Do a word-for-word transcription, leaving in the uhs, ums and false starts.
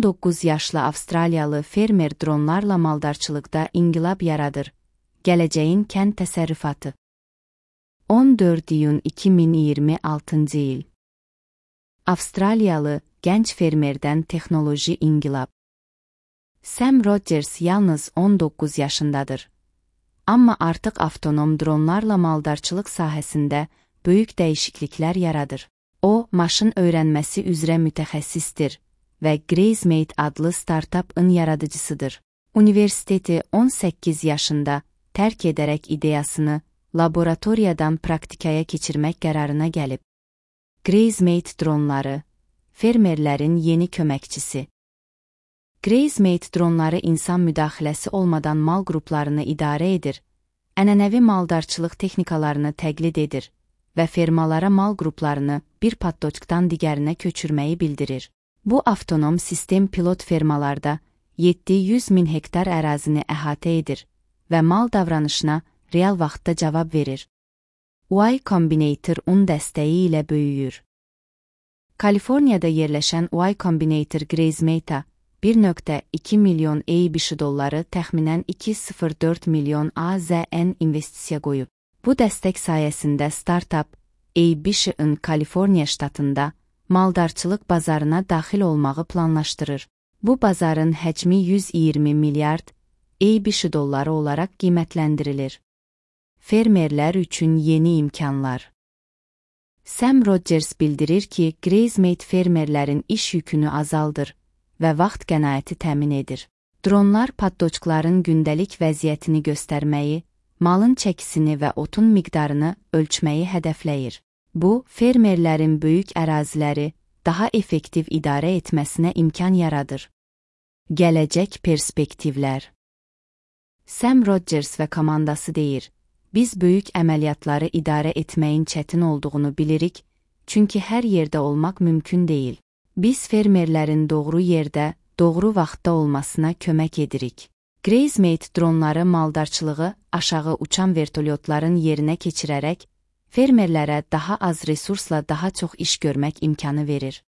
on doqquz yaşlı Avstraliyalı fermer dronlarla maldarçılıqda inqilab yaradır. Gələcəyin kənd təsərrüfatı. on dörd iyun iki min iyirmi altıncı il. Avstraliyalı gənc fermerdən texnoloji inqilab. Sam Rogers yalnız on doqquz yaşındadır. Amma artıq avtonom dronlarla maldarçılıq sahəsində böyük dəyişikliklər yaradır. O, maşın öyrənməsi üzrə mütəxəssisdir və Grazemate adlı startupın yaradıcısıdır. Universiteti on səkkiz yaşında tərk edərək ideyasını laboratoriyadan praktikaya keçirmək qərarına gəlib. Grazemate dronları, fermerlərin yeni köməkçisi. Grazemate dronları insan müdaxiləsi olmadan mal qruplarını idarə edir, ənənəvi maldarçılıq texnikalarını təqlid edir və fermalara mal qruplarını bir paddoçkdan digərinə köçürməyi bildirir. Bu avtonom sistem pilot fermalarda yeddi yüz min hektar ərazini əhatə edir və mal davranışına real vaxtda cavab verir. Y Combinator un dəstəyi ilə böyüyür. Kaliforniyada yerləşən Y Combinator Grazemate bir nöqtə iki milyon A B Ş dolları təxminən iki nöqtə sıfır dörd milyon A Z N investisiya qoyub. Bu dəstək sayəsində startup A B Ş-ın Kaliforniya ştatında maldarçılıq bazarına daxil olmağı planlaşdırır. Bu bazarın həcmi yüz iyirmi milyard A B Ş dolları olaraq qiymətləndirilir. Fermerlər üçün yeni imkanlar. Sam Rogers bildirir ki, Grazemate fermerlərin iş yükünü azaldır və vaxt qənaəti təmin edir. Dronlar paddoçkların gündəlik vəziyyətini göstərməyi, malın çəkisini və otun miqdarını ölçməyi hədəfləyir. Bu, fermerlərin böyük əraziləri daha effektiv idarə etməsinə imkan yaradır. Gələcək perspektivlər. Sam Rogers və komandası deyir, biz böyük əməliyyatları idarə etməyin çətin olduğunu bilirik, çünki hər yerdə olmaq mümkün deyil. Biz fermerlərin doğru yerdə, doğru vaxtda olmasına kömək edirik. Grazemate dronları maldarçılığı aşağı uçan vertolyotların yerinə keçirərək, fermerlərə daha az resursla daha çox iş görmək imkanı verir.